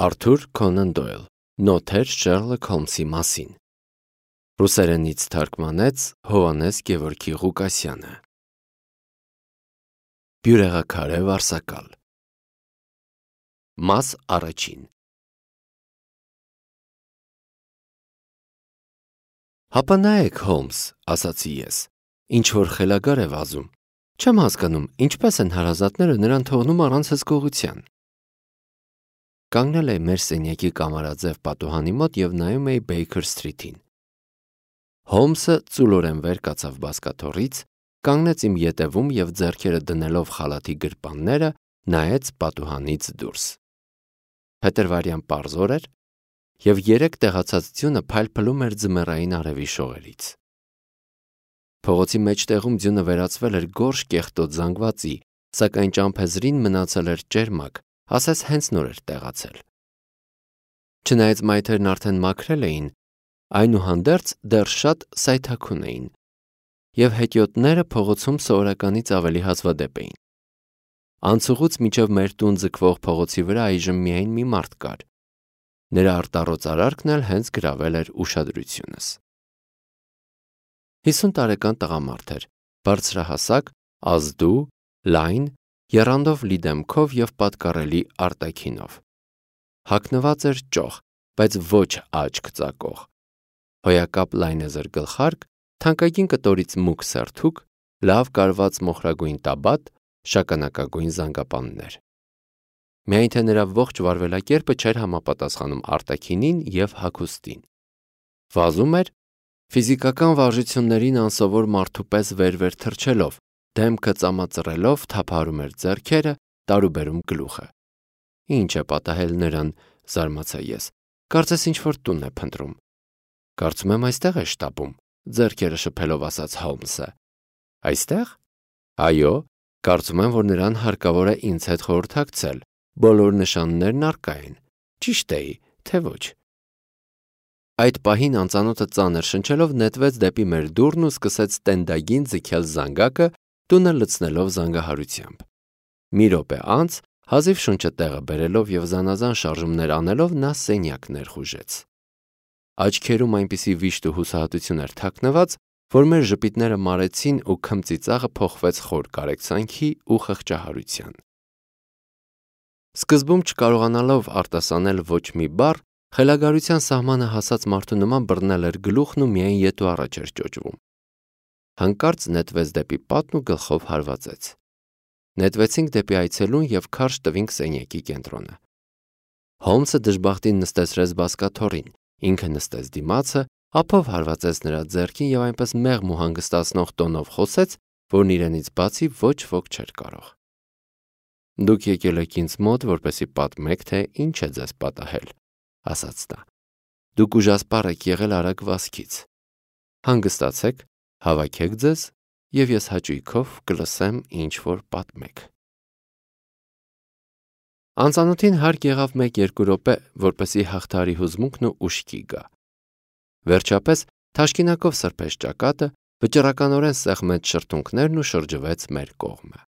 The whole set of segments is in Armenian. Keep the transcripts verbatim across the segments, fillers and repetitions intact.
Արթուր Քոնան Դոյլ, Նոթեր Շերլոք Հոլմսի մասին։ Ռուսերենից թարգմանեց Հովհաննես Գևորգի Ղուկասյանը։ Բյուրեղաքարե վարսակալ։ Մաս առաջին։ Հապա նայեք, Հոլմս, ասացի ես, ինչ որ խելագար է վազում։ Չեմ հասկանում, ինչպես են հարազատները նրան թողնում առանց հսկողության։ Կանգնել էի մեր սենյակի կամարաձև պատուհանի մոտ և նայում էի Բեյքեր Սթրիթին։ Հոլմսը ծուլորեն վեր կացավ բազկաթոռից, կանգնեց իմ ետևում և ձեռքերը դնելով խալաթի գրպանները նայեց պատուհանից դուրս։ Փետրվարյան պարզ օր էր, և երեք տեղացած ձյունը փայլփլում էր ձմեռային արևի շողերից։ Փողոցի մեջտեղում ձյունը վերածվել էր գորշ կեղտոտ զանգվածի, սակայն ճամփեզրին մնացել էր ճերմակ, ասես հենց նոր էր տեղացել։ Չնայած մայթերն արդեն մաքրել էին, այնուհանդերձ դեռ շատ սայթաքուն էին, և հետիոտները փողոցում սովորականից ավելի հազվադեպ էին։ Անցուղուց մինչև մեր տուն ձգվող փողոցի վրա այժմ միայն մի մարդ կար։ Նրա արտառոց արարքն էլ հենց գրավել էր ուշադրությունս։ Հիսուն տարեկան տղամարդ էր, բարձրահասակ, ազդու, լայն, եռանդով լի դեմքով և պատկառելի արտաքինով։ Հագնված էր ճոխ, բայց ոչ աչք ծակող։ Հոյակապ լայնեզր գլխարկ, թանկագին կտորից մուգ սերթուկ, լավ կարված մոխրագույն տաբատ, շագանակագույն զանգապաններ։ Միայն թե նրա ողջ վարվելակերպը չէր համապատասխանում արտաքինին և հագուստին։ Վազում էր ֆիզիկական վարժություններին անսովոր մարդու պես վեր-վեր թռչելով, դեմքը ծամածռելով թափահարում էր ձեռքերը, տարուբերում գլուխը։ Ինչ է պատահել նրան, զարմացա ես, կարծես ինչ-որ տուն է փնտրում։ Կարծում եմ այստեղ է շտապում, ձեռքերը շփելով ասաց Հոլմսը։ Այստեղ։ Այո, կարծում եմ, որ նրան հարկավոր է ինձ հետ խորհրդակցել, բոլոր նշաններն առկա են, ճիշտ էի, թե ոչ։ Այդ պահին անծանոթը ծանր շնչելով նետվեց դեպի մեր դուռն ու սկսեց տենդագին ձգել զանգակը, տունը լցնելով զանգահարությամբ։ Մի րոպե անց, հազիվ շունչը տեղը բերելով և զանազան շարժումներ անելով, նա սենյակ ներխուժեց։ Աչքերում այնպիսի վիշտ ու հուսահատություն էր թաքնված, որ մեր ժպիտները մարեցին ու քմծիծաղը փոխվեց խոր կարեկցանքի ու խղճահարության։ Սկզբում չկարողանալով արտասանել ոչ մի բառ, խելագարության սահմանը հասած մարդու նման բռնել էր գլուխն ու միայն ետ ու առաջ էր ճոճվում։ Հանկարծ նետվեց դեպի պատն ու գլխով հարվածեց։ Նետվեցինք դեպի այցելուն և քարշ տվինք սենյակի կենտրոնը։ Հոլմսը դժբախտին նստեցրեց բազկաթոռին, ինքը նստեց դիմացը, ափով հարվածեց նրա ձեռքին և այնպես մեղմ ու հանգստացնող տոնով խոսեց, որն իրենից բացի ոչ ոք չէր կարող։ Դուք եկել եք ինձ մոտ, որպեսզի պատմեք, թե ինչ է ձեզ պատահել, ասաց նա։ Դուք ուժասպառ եք եղել արագ վազքից։ Հանգստացեք, հավաքեք ձեզ, և ես հաճույքով կլսեմ, ինչ որ պատմեք։ Անծանոթին հարկ եղավ մեկ-երկու րոպե, որպեսզի հաղթահարի հուզմունքն ու ուշքի գա։ Վերջապես թաշկինակով սրբեց ճակատը, վճռականորեն սեղմեց շրթունքներն ու շրջվեց մեր կողմը։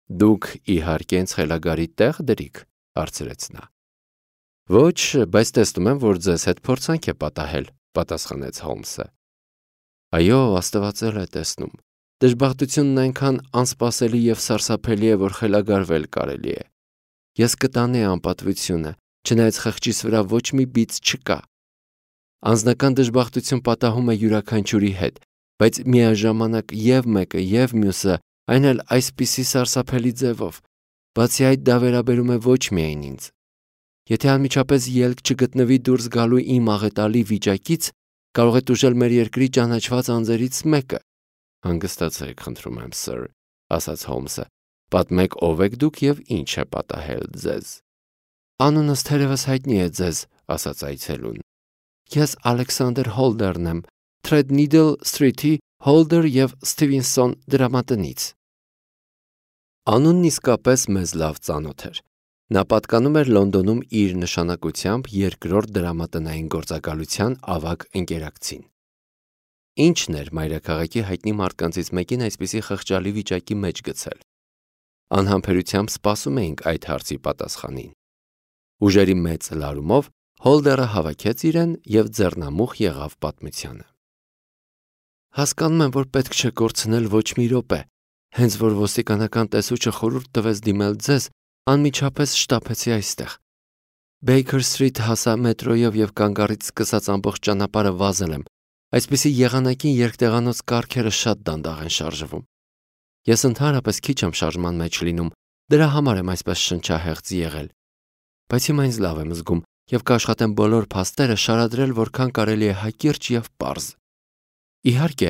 Դուք, իհարկե, ինձ խելագարի տեղ դրիք, հարցրեց նա։ Ոչ, բայց տեսնում եմ, որ ձեզ հետ փորձանք է պատահել, պատասխանեց Հոլմսը։ Այո, աստվածել է տեսնում։ Դժբախտությունն այնքան անսպասելի և սարսափելի է, որ խելագարվել կարելի է։ Ես կտանեի անպատվությունը, չնայած խղճիս վրա ոչ մի բիծ չկա։ Անձնական դժբախտություն պատահում է յուրաքանչյուրի հետ, բայց միաժամանակ և մեկը, և մյուսը, այն էլ այսպիսի սարսափելի ձևով։ Բացի այդ, դա վերաբերում է ոչ միայն ինձ։ Եթե անմիջապես ելք չգտնվի դուրս գալու իմ աղետալի վիճակից, կարող է տուժել մեր երկրի ճանաչված անձերից մեկը։ Հանգստացեք, խնդրում եմ, սըր, ասաց Հոլմսը։ Պատմեք, ով եք դուք և ինչ է պատահել ձեզ։ Անունս թերևս հայտնի է ձեզ, ասաց այցելուն։ Ես Ալեքսանդր Հոլդերն եմ, Թրեդնիդլ Սթրիթի Հոլդեր և Սթիվենսոն դրամատնից։ Անունն իսկապես մեզ լավ ծանոթ էր։ Նա պատկանում էր Լոնդոնում իր նշանակությամբ երկրորդ դրամատնային գործակալության ավագ ընկերակցին։ Ինչն էր մայրաքաղաքի հայտնի մարդկանցից մեկին այսպիսի խղճալի վիճակի մեջ գցել։ Անհամբերությամբ սպասում էինք այդ հարցի պատասխանին։ Ուժերի մեծ լարումով Հոլդերը հավաքեց իրեն և ձեռնամուխ եղավ պատմությանը։ Հասկանում եմ, որ պետք չէ կորցնել ոչ մի րոպե, հենց որ ոստիկանական տեսուչը խորհուրդ տվեց դիմել ձեզ, անմիջապես շտապեցի այստեղ։ Բեյքեր Սթրիթ հասա մետրոյով և կանգառից սկսած ամբողջ ճանապարհը վազել եմ, այսպիսի եղանակին երկտեղանոց կառքերը շատ դանդաղ են շարժվում։ Ես ընդհանրապես քիչ եմ շարժման մեջ լինում, դրա համար եմ այսպես շնչահեղձ եղել։ Բայց հիմա ինձ լավ եմ զգում և կաշխատեմ բոլոր փաստերը շարադրել որքան կարելի է հակիրճ և պարզ։ Իհարկե,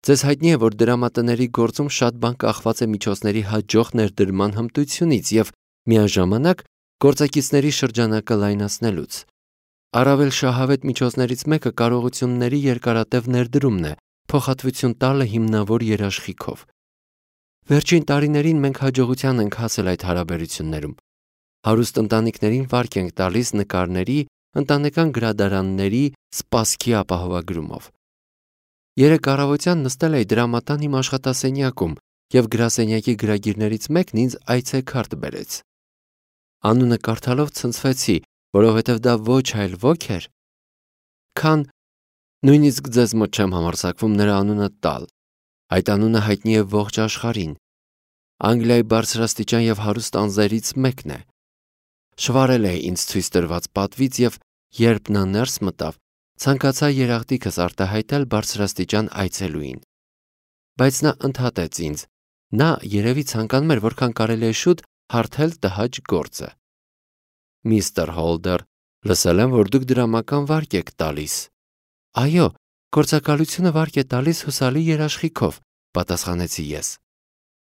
ձեզ հայտնի է, որ դրամատների գործում շատ բան կախված է միջոցների հաջող ներդրման հմտությունից և միաժամանակ գործակիցների շրջանակը լայնացնելուց։ Առավել շահավետ միջոցներից մեկը կարողությունների երկարատև ներդրումն է, փոխհատվություն տալը հիմնավոր երաշխիքով։ Վերջին տարիներին մենք հաջողության ենք հասել այդ հարաբերություններում։ Հարուստ ընտանիքներին վարկ ենք տալիս նկարների, ընտանեկան գրադարանների, սպասքի ապահովագրումով։ Երեկ առավոտյան նստել էի դրամատան իմ աշխատասենյակում և գրասենյակի գրագիրներից մեկն ինձ այցեքարտ բերեց։ Անունը կարդալով ցնցվեցի, որովհետև դա ոչ այլ ոք էր, քան նույնիսկ ձեզ մոտ չեմ համարձակվում նրա անունը տալ։ Այդ անունը հայտնի է ողջ աշխարհին։ Անգլիայի բարձրաստիճան և հարուստ անձերից մեկն է։ Շվարել է ինձ ցույց տրված պատվից և երբ նա ներս մտավ, ցանկացա երախտիկս արտահայտել բարձրաստիճան այցելուին։ Բայց նա ընդհատեց ինձ։ Նա երևի ցանկանում էր որքան կարելի է շուտ հարթել տհաճ գործը։ Միստր Հոլդեր, լսել եմ, որ դուք դրամական վարկ եք տալիս։ Այո, գործակալությունը վարկ է տալիս հուսալի երաշխիքով, պատասխանեցի ես։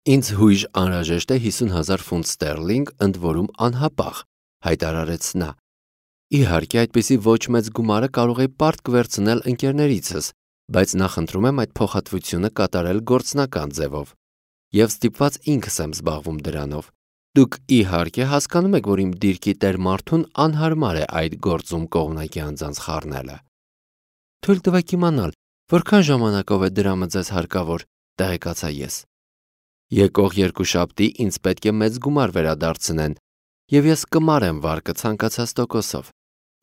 Ինձ հույժ անհրաժեշտ է հիսուն հազար ֆունտ ստերլինգ, ընդ որում անհապաղ, հայտարարեց նա։ Իհարկե, այդպիսի ոչ մեծ գումարը կարող էի պարտք վերցնել ընկերներիցս, բայց նախընտրում եմ այդ փոխհատվությունը կատարել գործնական ձևով։ Եվ ստիպված ինքս եմ զբաղվում դրանով։ Դուք իհարկե հասկանում եք, որ իմ դիրքի տեր մարդուն անհարմար է այդ գործում կողմնակի անձանց խառնելը։ Թույլ տվեք իմանալ, որքան ժամանակով է դրամը ձեզ հարկավոր, տեղեկացա ես։ Եկող երկուշաբթի ինձ պետք է մեծ գումար վերադարձնեն, և ես կմարեմ վարկը ցանկացած տոկոսով,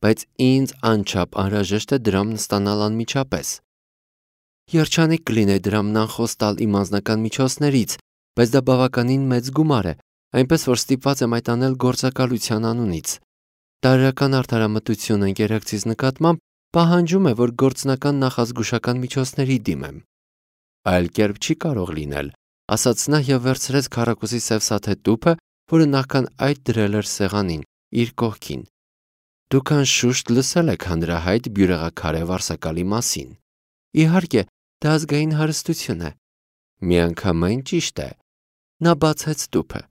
բայց ինձ անչափ անհրաժեշտ է դրամն ստանալ անմիջապես։ Երջանիկ կլինեի դրամն անխոս տալ իմ անձնական միջոցներից, բայց դա բավականին մեծ գումար է, այնպես որ ստիպված եմ այդ անել գործակալության անունից։ Տարրական արդարամտությունը ընկերակցիս նկատմամբ պահանջում է, որ գործնական նախազգուշական միջոցների դիմեմ։ Այլ կերպ չի կարող լինել, ասաց նա և վերցրեց քառակուսի սև սաթե տուփը, որը նախքան այդ դրել էր սեղանին, իր կողքին։ Դուք անշուշտ լսել եք հանրահայտ բյուրեղաքարե վարսակալի մասին։ Իհարկե, դա ազգային հարստություն է։ Միանգամայն ճիշտ է։ Նա բացեց տուփը։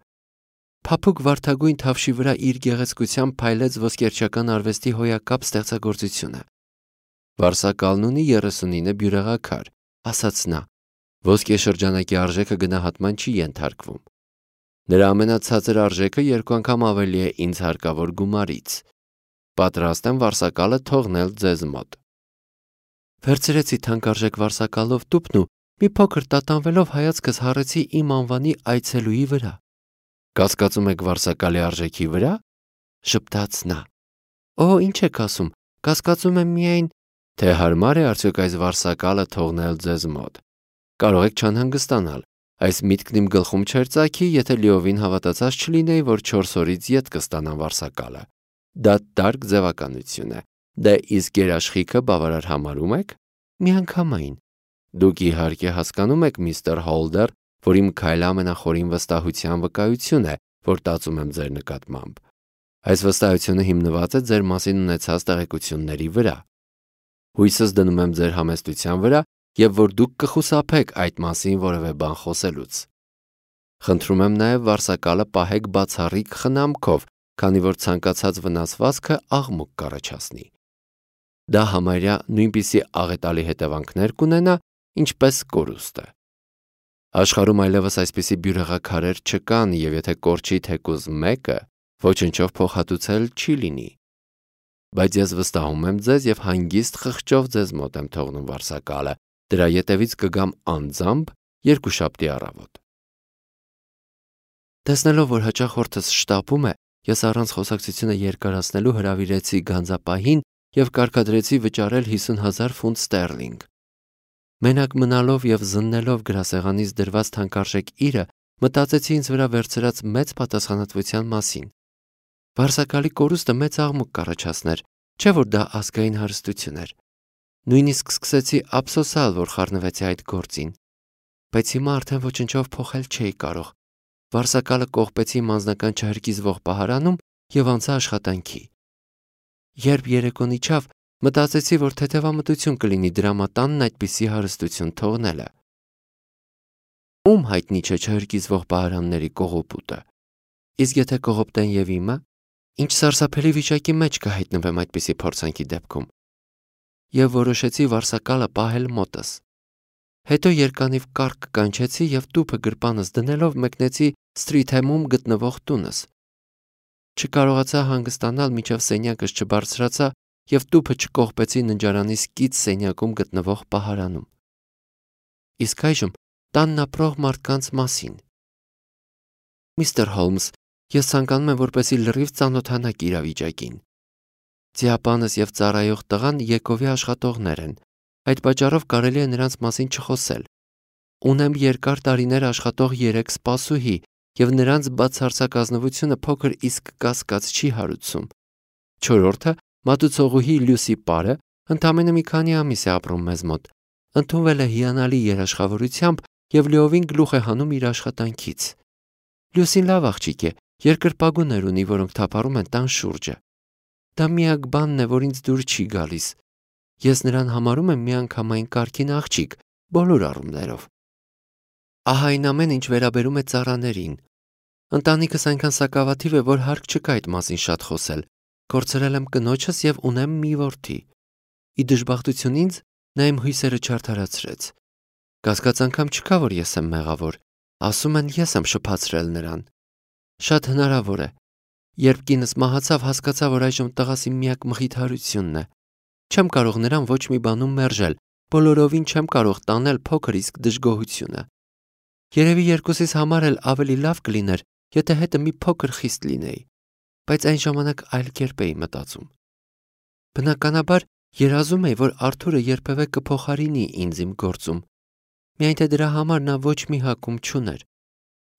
Փափուկ վարդագույն թավշի վրա իր գեղեցկությամբ փայլեց ոսկերչական արվեստի հոյակապ ստեղծագործությունը։ Վարսակալն ունի երեսունինը բյուրեղաքար, ասաց նա։ Ոսկե շրջանակի արժեքը գնահատման չի ենթարկվում։ Նրա ամենացածր արժեքը երկու անգամ ավելի է ինձ հարկավոր գումարից։ Պատրաստ եմ վարսակալը թողնել ձեզ մոտ։ Վերցրեցի թանկարժեք վարսակալով տուփն ու մի փոքր տատանվելով հայացքս հառեցի իմ անվանի այցելուի վրա։ Կասկածում եք վարսակալի արժեքի վրա, շպտաց նա։ Օ, ինչ եք ասում, կասկածում եմ միայն, թե հարմար է արդյոք այս վարսակալը թողնել ձեզ մոտ։ Կարող եք չանհանգստանալ, այս միտքն իմ գլխում չէր ծագի, եթե լիովին հավատացած չլինեի, որ չորս օրից ետ կստանամ վարսակալը։ Դա տարկ ձևականություն է։ Դե իսկ երաշխիքը բավարար համարում եք։ Միանգամայն։ Դուք իհարկե հասկանում եք, միստր Հոլդեր, որ իմ քայլը ամենախորին վստահության վկայություն է, որ տածում եմ ձեր նկատմամբ։ Այս վստահությունը հիմնված է ձեր մասին ունեցած տեղեկությունների վրա։ Հույսս դնում եմ ձեր համեստության վրա և որ դուք կխուսափեք այդ մասին որևէ բան խոսելուց։ Խնդրում եմ նաև վարսակալը պահեք բացառիկ խնամքով, քանի որ ցանկացած վնասվածքը աղմուկ կառաջացնի։ Դա համարյա նույնպիսի աղետալի հետևանքներ կունենա, ինչպես կորուստը։ Աշխարհում այլևս այսպիսի բյուրեղաքարեր չկան, և եթե կորչի թեկուզ մեկը, ոչնչով փոխհատուցել չի լինի։ Բայց ես վստահում եմ ձեզ և հանգիստ խղճով ձեզ մոտ եմ թողնում վարսակալը, դրա ետևից կգամ անձամբ երկուշաբթի առավոտ։ Տեսնելով, որ հաճախորդս շտապում է Ես առանց խոսակցությունը երկարացնելու հրավիրեցի գանձապահին և կարգադրեցի վճարել հիսուն հազար ֆունտ ստերլինգ։ Մենակ մնալով և զննելով գրասեղանից դրված թանկարժեք իրը, մտածեցի ինձ վրա վերցրած մեծ պատասխանատվության մասին։ Վարսակալի կորուստը մեծ աղմուկ կառաջացներ, չէ՞ որ դա ազգային հարստություն էր։ Նույնիսկ սկսեցի ափսոսալ, որ խառնվեցի այդ գործին։ Բայց հիմա արդեն ոչնչով փոխել չէի կարող։ Վարսակալը կողպեցի իմ անձնական չհրկիզվող պահարանում և անցա աշխատանքի։ Երբ երեկոն իջավ, մտածեցի, որ թեթևամտություն կլինի դրամատանն այդպիսի հարստություն թողնելը։ Ում հայտնի չէ չհրկիզվող պահարանների կողոպուտը։ Իսկ եթե կողոպտեն և իմը, ինչ սարսափելի վիճակի մեջ կհայտնվեմ այդպիսի փորձանքի դեպքում։ Եվ որոշեցի վարսակալը պահել մոտս։ Հետո երկանիվ կառք կանչեցի և տուփը գրպանս դնելով մեկնեցի Սթրիթհեմում գտնվող տունս։ Չկարողացա հանգստանալ, մինչև սենյակս չբարձրացա և տուփը չկողպեցի ննջարանիս կից սենյակում գտնվող պահարանում։ Իսկ այժմ տանն ապրող մարդկանց մասին։ Միստր Հոլմս, ես ցանկանում եմ, որպեսզի լրիվ ծանոթանաք իրավիճակին։ Ձիապանս և ծառայող տղան Եկովի աշխատողներ են։ Այդ պատճառով կարելի է նրանց մասին չխոսել։ Ունեմ երկար տարիներ աշխատող երեք սպասուհի, և նրանց բացարձակ ազնվությունը փոքր իսկ կասկած չի հարուցում։ Չորրորդը, մատուցողուհի Լյուսի Պարը, ընդամենը մի քանի ամիս է ապրում մեզ մոտ, ընդունվել է հիանալի երաշխավորությամբ և լիովին գլուխ է հանում իր աշխատանքից։ Լյուսին լավ աղջիկ է, երկրպագուներ ունի, որոնք թափառում են տան շուրջը։ Դա միակ բանն է, որ ինձ դուր չի գալիս։ Ես նրան համարում եմ միանգամայն կարգին աղջիկ, բոլոր առումներով։ Ահա այն ամեն ինչ վերաբերում է ծառաներին։ Ընտանիքս այնքան սակավաթիվ է, որ հարկ չկա այդ մասին շատ խոսել։ Կորցրել եմ կնոջս և ունեմ մի որդի։ Ի դժբախտություն ինձ, նա իմ հույսերը չարդարացրեց։ Կասկած անգամ չկա, որ ես եմ մեղավոր։ Ասում են, ես եմ շփացրել նրան։ Շատ հնարավոր է։ Երբ կինս մահացավ, հասկացա, որ այժմ տղաս իմ միակ մխիթարությունն է։ Չեմ կարող նրան ոչ մի բանում մերժել, բոլորովին չեմ կարող տանել փոքր իսկ դժգոհությունը։ Երևի երկուսիս համար էլ ավելի լավ կլիներ, եթե հետը մի փոքր խիստ լինեի, բայց այն ժամանակ այլ կերպ էի մտածում։ Բնականաբար երազում էի, որ Արթուրը երբևէ կփոխարինի ինձ իմ գործում, միայն թե դրա համար նա ոչ մի հակում չուներ։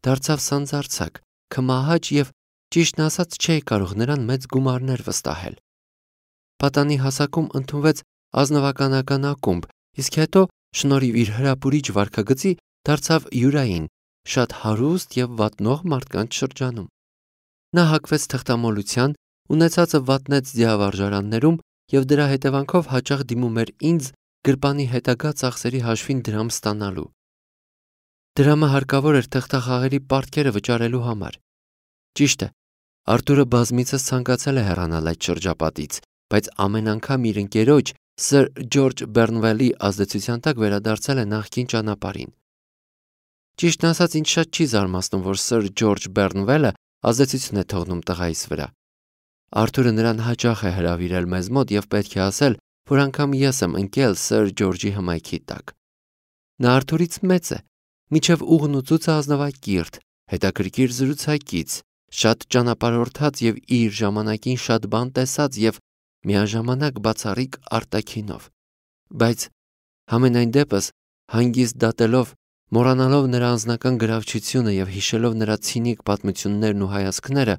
Դարձավ սանձարձակ, քմահաճ և, ճիշտն ասած, չէի կարող նրան մեծ գումարներ վստահել։ Պատանի հասակում ընդունվեց ազնվականական ակումբ, իսկ հետո, շնորհիվ իր հրապուրիչ վարքագծի, դարձավ յուրային, շատ հարուստ և վատնող մարդկանց շրջանում։ Նա հակվեց թղթամոլության, ունեցածը վատնեց ձիավարժարաններում և դրա հետևանքով հաճախ դիմում էր ինձ գրպանի հետագա ծախսերի հաշվին դրամ ստանալու։ Դրամը հարկավոր էր թղթախաղերի պարտքերը վճարելու համար։ Ճիշտ է, Արթուրը բազմիցս ցանկացել է հեռանալ այդ շրջապատից, բայց ամեն անգամ իր ընկերոջ Սր Ջորջ Բեռնվելի ազդեցության տակ վերադարձել է նախկին ճանապարհին։ Ճիշտն ասած, ինձ շատ չի զարմացնում, որ Սր Ջորջ Բեռնվելը ազդեցություն է թողնում տղայիս վրա։ Արթուրը նրան հաճախ է հրավիրել մեզ մոտ և պետք է ասել, որ անգամ ես եմ ընկել Սր Ջորջի հմայքի տակ։ Նա Արթուրից մեծ է, մինչև ուղն ու ծուծը ազնվակիրթ, հետաքրքիր զրուցակից, շատ ճանապարհորդած և իր ժամանակին շատ բան տեսած և միաժամանակ բացառիկ արտաքինով։ Բայց համենայն դեպս, հանգիստ դատելով, մոռանալով նրա անձնական գրավչությունը և հիշելով նրա ցինիկ պատմություններն ու հայացքները,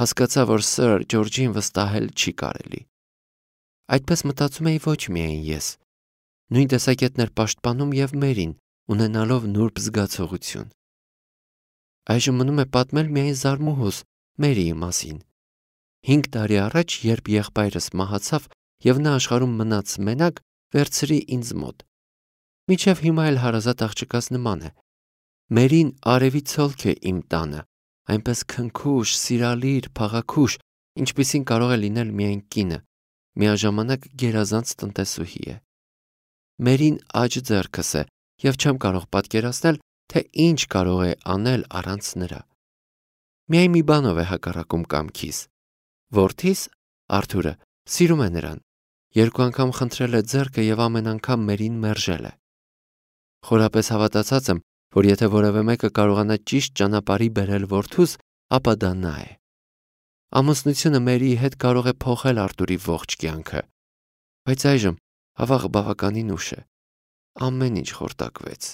հասկացա, որ Սր Ջորջին վստահել չի կարելի։ Այդպես մտածում էի ոչ միայն ես։ Նույն տեսակետն էր պաշտպանում և Մերին, ունենալով նուրբ զգացողություն։ Այժմ մնում է պատմել միայն զարմուհուս Մերիի մասին։ Հինգ տարի առաջ, երբ եղբայրս մահացավ և նա աշխարհում մնաց մենակ, վերցրի ինձ մոտ։ Մինչև հիմա էլ հարազատ աղջկաս նման է։ Մերին արևի ցոլք է իմ տանը, այնպես քնքուշ, սիրալիր, փաղաքուշ, ինչպիսին կարող է լինել միայն կինը, միաժամանակ գերազանց տնտեսուհի է։ Մերին աջ ձեռքս է և չեմ կարող պատկերացնել, թե ինչ կարող է անել առանց նրա։ Միայն մի բանով է հակառակում կամքիս։ Որդիս՝ Արթուրը սիրում է նրան։ Երկու անգամ խնդրել է ձեռքը և ամեն անգամ Մերին մերժել է։ Խորապես հավատացած եմ, որ եթե որևէ մեկը կարողանա ճիշտ ճանապարհի բերել որդուս, ապա դա նա է։ Ամուսնությունը Մերիի հետ կարող է փոխել Արտուրի ողջ կյանքը, բայց այժմ ավաղը բավականին ուշ է։ Ամեն ինչ խորտակվեց։